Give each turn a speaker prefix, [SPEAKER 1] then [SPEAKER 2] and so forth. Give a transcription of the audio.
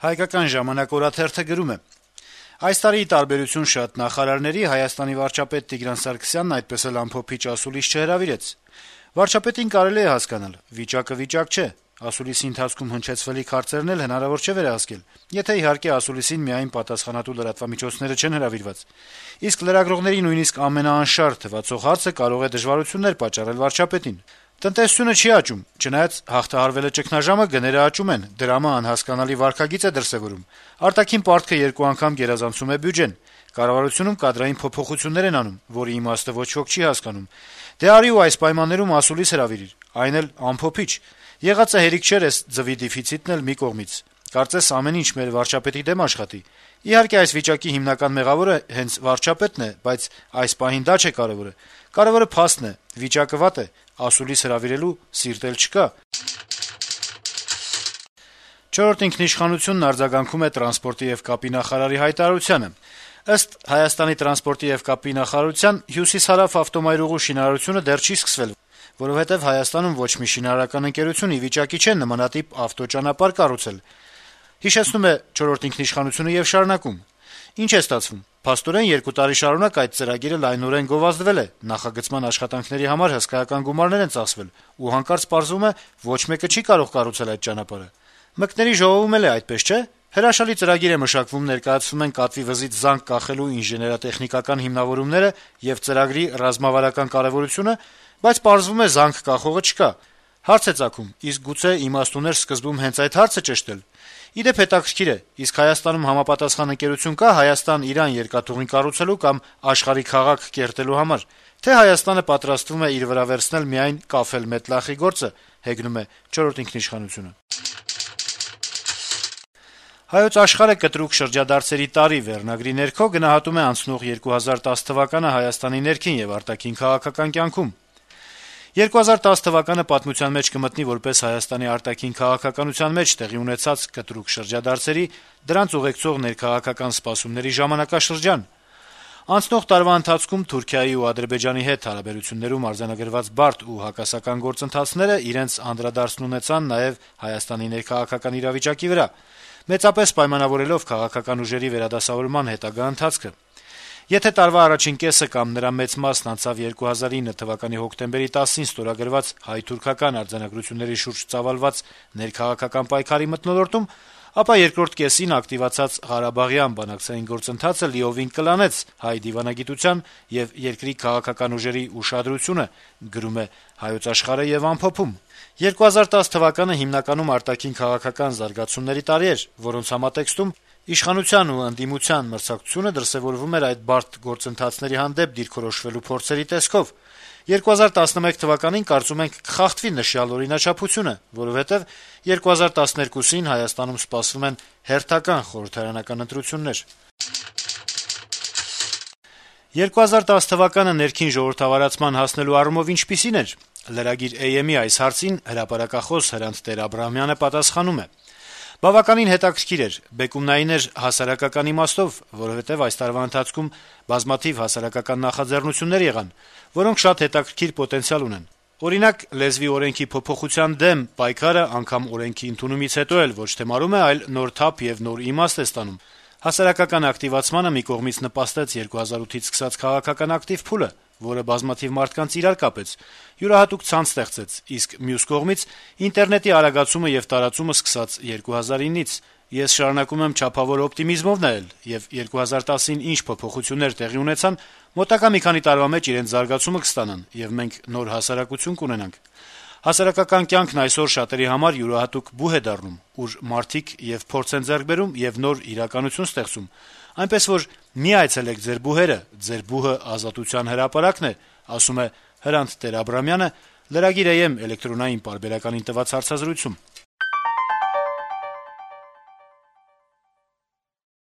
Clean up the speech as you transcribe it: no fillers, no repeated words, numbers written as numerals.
[SPEAKER 1] Հայկական ժամանակ օրաթերթը գրում է. - «Այս տարի, ի տարբերություն շատ նախարարների, Հայաստանի վարչապետ Տիգրան Սարգսյանն այդպես էլ անփոփիչ ասուլիս չհրավիրեց: Վարչապետին կարելի է հասկանալ. վիճակը վիճակ չէ, ասուլիսի ընթացքում հնչեցվելիք հարցերն էլ հնարավոր չէ վերահսկել, եթե իհարկե ասուլիսին միայն պատասխանատու լրատվամիջոցները չեն հրավիրված: Իսկ լրագրողների նույնիսկ ամենաանշարժ թվացող հարցը կարող է դժվարություններ պատճառել վարչապետին: Տնտեսությունը չի աճում, չնայած հաղթահարվել է ճգնաժամը, գները աճում են, դրամը անհասկանալի վարքագիծ է դրսեւորում, արտաքին պարտքը 2 անգամ գերազանցում է բյուջեն, կառավարությունում կադրային փոփոխություններ են անում, որի իմաստը ոչ ոք չի հասկանում: Դե արի ու այս պայմաններում ասուլիս հրավիրիր, այն էլ անփոփիչ: Եղածը հերիք չէր էս ձվի դեֆիցիտն էլ մի կողմից: Կարծես ամեն ինչ մեր վարչապետի դեմ աշխատի: Իհարկե այս վիճակի հիմնական մեղավորը հենց վարչապետն է, բայց այս պահին դա չէ կարեւորը: Կարեւորը փաստն է, վիճակը վատ է, ասուլիս հրավիրելու սիրտ էլ չկա»: «Չորրորդ ինքնիշխանությունն» արձագանքում է տրանսպորտի եւ կապի նախարարի հայտարարությանը. - «Ըստ Հայաստանի տրանսպորտի եւ կապի նախարարության, հյուսիս-հարավ ավտոմայրուղու շինարարությունը դեռ չի սկսվել, որովհետեւ Հայաստանում ոչ մի շինարարական ընկերություն ի վիճակի չէ նմանատիպ ավտոճանապարհ կառուցել: Ինչ է ստացվում: Փաստորեն 2 տարի շարունակ այդ ծրագիրը լայնորեն գովազդվել է, նախագծման աշխատանքների համար հսկայական գումարներ են ծախսվել, ու հանկարծ պարզվում է՝ ոչ մեկը չի կարող կառուցել այդ ճանապարհը: Մկների ժողովում էլ է այդպես, չէ՞: Հրաշալի ծրագիր է մշակվում, ներկայացվում են կատվի վզից զանգ կախելու ինժեներատեխնիկական հիմնավորումները եւ ծրագրի ռազմավարական կարեւորությունը, բայց պարզվում է՝ զանգ կախողը չկա: Հարց է ծագում՝ իսկ գուցե իմաստ ուներ սկզբում հենց այդ հարցը ճշտել: Ի դեպ, հետաքրքիր է՝ իսկ Հայաստանում համապատասխան ընկերություն կա Հայաստան-Իրան երկաթուղին կառուցելու կամ աշխարհի քաղաք կերտելու համար, թե՞ Հայաստանը պատրաստվում է իր վրա վերցնել միայն կաֆել-մետլախի գործը»: «Հայոց Աշխարհ»-ը «Կտրուկ շրջադարձերի տարի» վերնագրի ներքո գնահատում է անցնող 2010 թվականը Հայաստանի ներքին եւ արտաքին քաղաքական կյանքում. - «2010 թվականը պատմության մեջ կմտնի որպես Հայաստանի արտաքին քաղաքականության մեջ տեղի ունեցած կտրուկ շրջադարձերի, դրանց ուղեկցող ներքաղաքական սպասումների ժամանակաշրջան: Անցնող տարվա ընթացքում Թուրքիայի ու Ադրբեջանի հետ հարաբերություններում արձանագրված բարդ ու հակասական գործընթացները իրենց անդրադարձն ունեցան նաեւ Հայաստանի ներքաղաքական իրավիճակի վրա, մեծապես պայմանավորելով քաղաքական ուժերի վերադասավորման հետագա ընթացքը: Եթե տարվա առաջին կեսը կամ նրա մեծ մասն անցավ 2009 թվականի հոկտեմբերի 10-ին ստորագրված հայ-թուրքական արձանագրությունների շուրջ ծավալված ներքաղաքական պայքարի մթնոլորտում, ապա երկրորդ կեսին ակտիվացած ղարաբաղյան բանակցային գործընթացը լիովին կլանեց հայ դիվանագիտության եւ երկրի քաղաքական ուժերի ուշադրությունը», - գրում է «Հայոց Աշխարհ»-ը եւ ամփոփում. - «2010 թվականը հիմնականում արտաքին քաղաքական զարգացումների տարի էր, որոնց համատեքստում իշխանության ու ընդդիմության մրցակցությունը դրսեւորվում էր այդ բարդ գործընթացների հանդեպ դիրքորոշվելու փորձերի տեսքով: 2011 թվականին, կարծում ենք, կխախտվի նշյալ օրինաչափությունը, որովհետեւ 2012-ին Հայաստանում սպասվում են հերթական խորհրդարանական ընտրություններ»: 2010 թվականը ներքին ժողովրդավարացման հասնելու առումով ինչպիսի՞ն էր: Lragir AM-ի այս հարցին հրապարակախոս Հրանտ Տեր-Աբրահամյանը պատասխանում է. - «Բավականին հետաքրքիր էր, բեկումնային էր հասարակական իմաստով, որովհետեւ այս տարվա ընթացքում բազմաթիվ հասարակական նախաձեռնություններ եղան, որոնք շատ հետաքրքիր պոտենցիալ ունեն: Օրինակ, լեզվի օրենքի փոփոխության դեմ պայքարը անգամ օրենքի ընդունումից հետո էլ ոչ թե մարում է, այլ նոր թափ եւ նոր իմաստ է ստանում: Հասարակական ակտիվացմանը մի կողմից նպաստեց 2008-ից սկսած քաղաքական ակտիվ փուլը, որը բազմաթիվ մարդկանց իրար կապեց, յուրահատուկ ցանց ստեղծեց, իսկ մյուս կողմից ինտերնետի արագացումը եւ տարածումը սկսած 2009-ից: Ես շարունակում եմ չափավոր օպտիմիզմով նայել, եւ 2010-ին ինչ փոփոխություններ տեղի ունեցան, մոտակա մի քանի տարվա մեջ իրենց զարգացումը կստանան, եւ մենք նոր հասարակություն կունենանք: Հասարակական կյանքն այսօր շատերի համար յուրահատուկ բուհ է դառնում, ուր մարդիկ եւ փորձ են ձեռք բերում եւ նոր իրականություն ստեղծում: Այնպես որ մի այցելեք ձեր բուհերը, ձեր բուհը Ազատության հրապարակն է», - ասում է Հրանտ Տեր-Աբրահամյանը Lragir AM էլեկտրոնային պարբերականին տված հարցազրույցում: